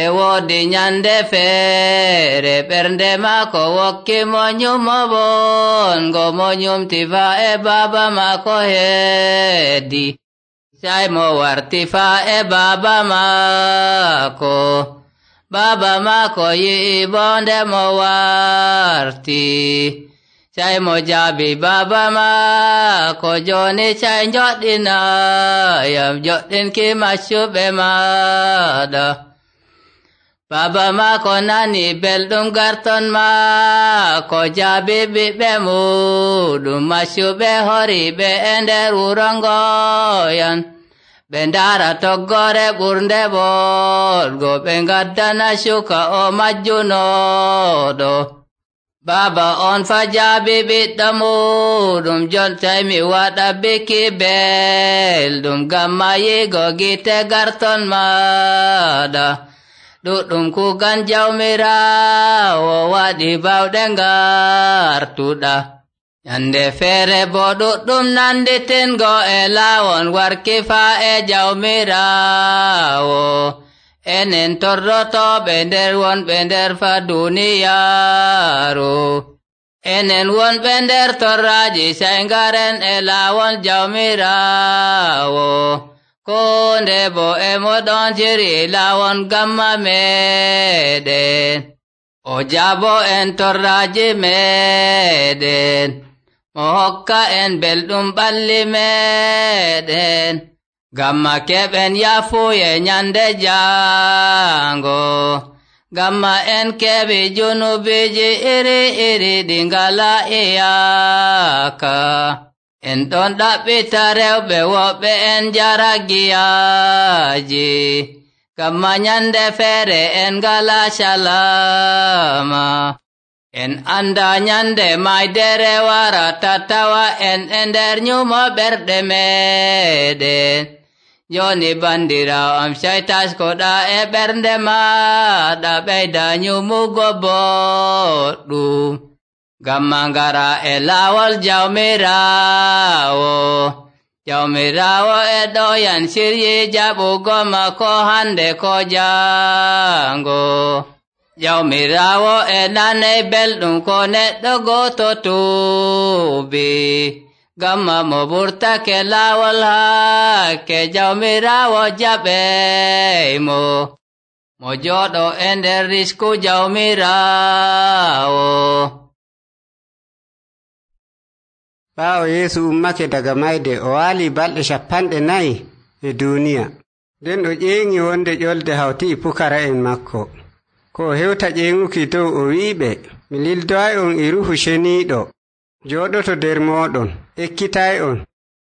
E woodi nyande feere, ɓernde maako wokki mo nyumo bongo, mo nyumti faa e baaba maako heedi. Sai mo warti faa e baaba maako. Baba maako yi'i bonde mo warti. Sai mo jaabi baba maako, jooni sai njoɗɗinayam, joɗɗinki maccuɓe maaɗa. Baba maako nani belɗum garton maako, jaabi ɓiɓɓe muɗum, maccuɓe horiɓe e nder wuro ngoyan. Ɓe ndaara toggore ɓurnde boɗgo, ɓe ngaddana shuka o majjunoɗo. Baba on fa jaabi ɓiɗɗo muɗum, jontai mi waɗa biki belɗum, ngam mayigo gite garton maɗa. Ɗuɗɗum kugan Jawmiraawo waɗi bawɗe ngartuɗa. Nyande feere bo ɗuɗɗum nanditingo e laawon warki faa e Jawmiraawo. Enen torrotoɓe nder wonɓe nder fa duniyaaru. Enen wonɓe nder torraaji sey ngaren e laawon Jawmiraawo. Konde bo e moɗon jiri laawon gamma meɗen. O jaabo en torraaji meɗen. Mo hokka en belɗum ɓalli meɗen, gamma keɓen yafuye nyande jango. Gamma en keɓi junubiji iri iri ɗi ngala iyaka. En ɗon ɗaɓɓita rewɓe woɓɓe en jara giyaji, gamma nyande feere en ngala salama. en anda nyande maydere warata tawa en e nder nyumo ɓerɗe meɗen. Joni bandirawo am caytaskoɗa e ɓernde maɗa ɓeyda nyumugo boɗɗum. Gamma ngara e laawol Jawmirawo. Jawmirawo e ɗoyan siryi jaɓugo makko hande ko jango. Jawmirawo e nanay belɗum ko neɗɗo goto tuubi. Gamma mo ɓurtake laawol hakke Jawmirawo jaɓeymo. Mo jooɗo e nder risku Jawmirawo. ɓaawo Yeesu ummake daga mayde o waali balɗe cappanɗe nayi e duuniya. Nden o ƴeeŋi wonde ƴolde hawti e pukara'en makko. Ko o hewta ƴeeŋuki dow o wi'iɓe, mi lildoy'on e Ruuhu Ceniiɗo jooɗoto nder mooɗon, ekkitay'on,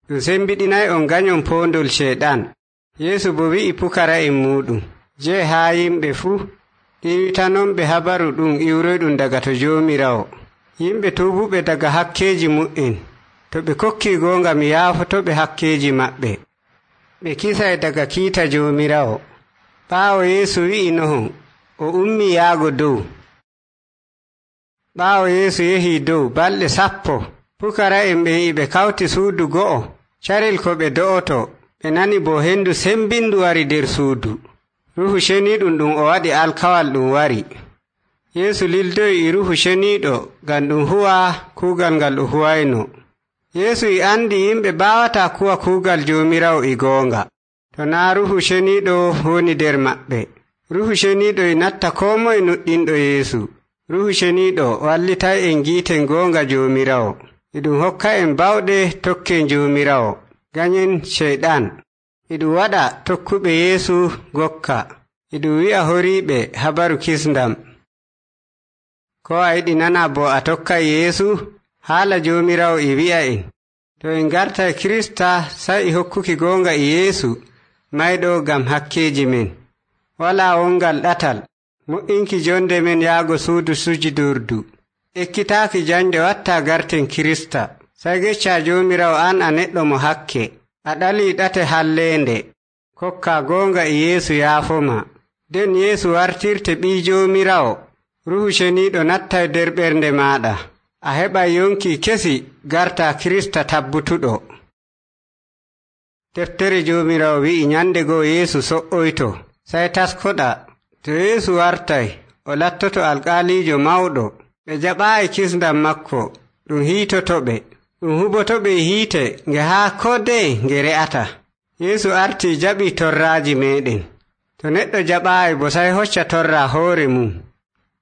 ɗum sembiɗinay'on ganyon poondol Ceyɗan. Yeesu bo wi'i pukara'en muuɗum, jee haa yimɓe fuu, ɗiiwitanonɓe habaru ɗum iwroyɗum daga to Joomiraawo. Yimɓe tuubuɓe daga hakkeeji mu'en, to ɓe kokkii goonga mi yaafotoɓe hakkeeji maɓɓe. Ɓe kisay daga kiita Joomiraawo. Ɓaawo Yeesu wi'i nohon, o ummii yaago dow. Ɓaawo Yeesu yehii dow balɗe sappo, pukara'en ɓen e ɓe kawti suudu go'o. Carel ko ɓe do'oto, ɓe nani bo hendu sembindu wari nder suudu. Ruuhu Ceniiɗum ɗum o waɗi alkawal ɗum wari. Yeesu lildoyi e Ruuhu Ceniiɗo ngam ɗum huwa kuugal ngal o huwayno. Yeesu e andi yimɓe baawataa kuwa kuugal Joomiraawo e goonga, to naa Ruuhu Ceniiɗo woni nder maɓɓe. Ruuhu Ceniiɗo e natta koo moye nuɗɗinɗo Yeesu. Ruuhu Ceniiɗo wallitay en giiten goonga Joomiraawo. E ɗum hokka en bawɗe tokken Joomiraawo, ganyen Ceyɗan. E ɗum waɗa tokkuɓe Yeesu gokka. E ɗum wi'a horiiɓe habaru kisndam. Ko a yiɗi nana bo a tokkay Yeesu? Haala Joomiraawo e wi'a en, to en gartay Kirista sai e hokkuki goonga e Yeesu mayɗo ngam hakkeeji men. Walaa wongal ɗatal, mo'inki jonde men yaago suudu sujudurdu. Ekkitaaki jande watta garten Kirista. Sai gecca Joomiraawo an a neɗɗo mo hakke, a ɗalii ɗate halleende. Kokka goonga e Yeesu yaafoma. Den Yeesu wartirte ɓii Joomiraawo. Ruuhu Ceniiɗo nattay nder ɓernde maaɗa. A heɓay yonki kesi garta Kirista tabbutuɗo. Deftere Joomiraawo wi'i nyande goo Yeesu so'oyto, sai taskoɗa. To Yeesu wartay, o lattoto alƙaaliijo mawɗo. Ɓe jaɓaayi kisndam makko, ɗum hiitotoɓe, ɗum hubotoɓe e hiite nge haa kodee nge re'ata. Yeesu artii jaɓii torraaji meeɗen. To neɗɗo jaɓaayi bo sai hocca torra hoore mum.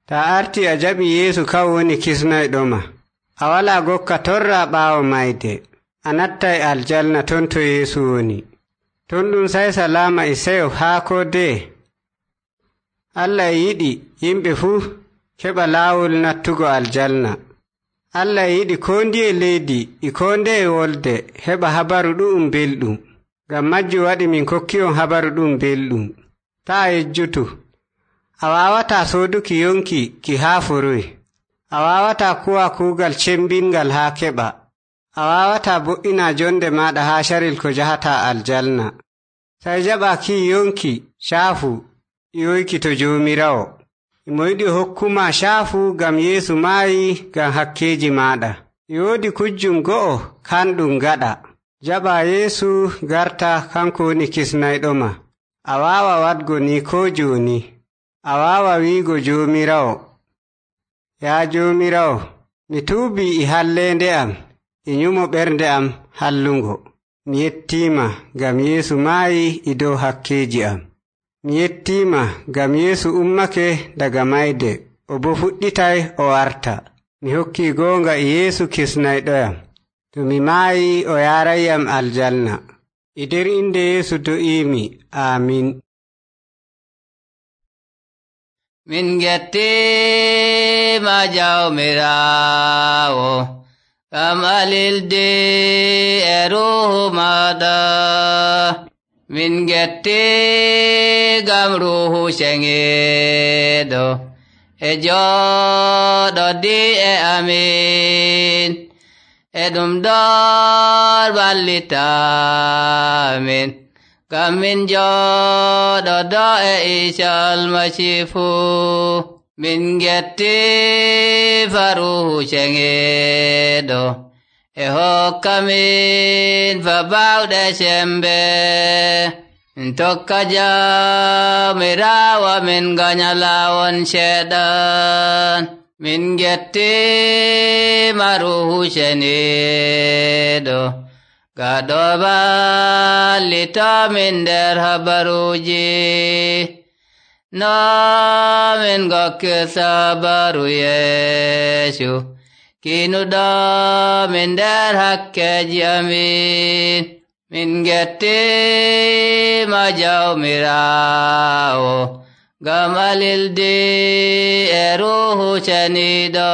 Ta arti a jaɓi Yeesu kaw woni kisnayɗoma, a walaa gokka torra ɓaawo mayde, a nattay aljanna ton to Yeesu woni. Ton ɗum sai salaama e seyo haa kodee. Allah e yiɗi yimɓe fuu keɓa laawol nattugo aljanna. Allah e yiɗi koo ndiye leydi e koo ndeye wolde heɓa habaru ɗu'um belɗum. Ngam majjum waɗi min kokki'on habaru ɗum belɗum. Taa yejjutu. A waawataa sooduki yonki ki haa foroy. A waawataa kuwa kuugal cembingal haa keɓa. A waawataa bo'ina jonde maaɗa haa carel ko jahataa aljanna. Sai jaɓa kii yonki caafu yoyki to Joomiraawo. Mo yiɗi hokkuma caafu ngam Yeesu maayi ngam hakkeeji maaɗa. Yoodi kujjum go'o kanɗum gaɗa. Jaɓa Yeesu garta kanko woni kisnayɗoma. A waawa waɗgo ni koo jooni. A waawa wiigo Joomiraawo, yaa Joomiraawo, mi tuubii e halleende am e nyumo ɓernde am hallungo. Mi yettiima ngam Yeesu maayi e dow hakkeeji am. Mi yettiima ngam Yeesu ummake daga mayde, o bo fuɗɗitay o warta. Mi hokkii goonga e Yeesu kisnayɗoyam. To mi maayi o yaarayyam aljanna. E nder inde Yeesu do'iimi. Aamin. Min gettima Jawmiraawo, ngam alilde e Ruuhu maaɗa. Min getti ngam Ruuhu Ceŋeeɗo e jooɗo di e amin e ɗum ɗon wallitamin ngam min jooɗo do e Iisa Almasiihu min getti faruhu ceŋeeɗo e hokka min fa bawɗe sembe min tokka Jawmiraawo min ganya laawol Seeɗan min getti maruhu ceniiɗo gaɗo wallito min nder habaruuji no min gokki sabaru Yeesu kinuɗo min nder hakkeji amin min gettima Jawmiraawo ngam alildi e ruhu ceniiɗo.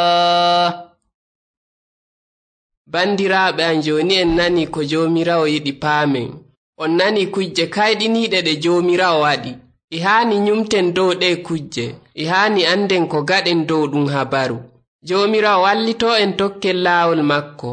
Bandiraaɓe am, joni en nani ko Joomiraawo yiɗi paamen. On nani kujje kayɗiniiɗe ɗe Joomiraawo waɗi. E haani nyumten dow ɗe kujje. E haani anden ko gaɗen dow ɗum habaru. Joomiraawo wallitoo en tokken laawol makko.